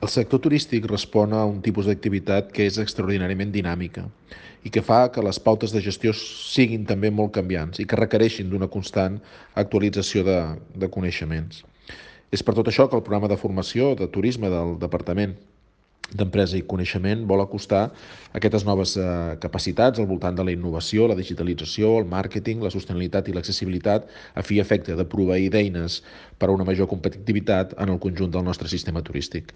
El sector turístic respon a un tipus d'activitat que és extraordinàriament dinàmica i que fa que les pautes de gestió siguin també molt canviants i que requereixin d'una constant actualització de coneixements. És per tot això que el programa de formació de turisme del Departament d'Empresa i Coneixement vol acostar aquestes noves capacitats al voltant de la innovació, la digitalització, el màrqueting, la sostenibilitat i l'accessibilitat a fi i efecte de proveir d'eines per a una major competitivitat en el conjunt del nostre sistema turístic.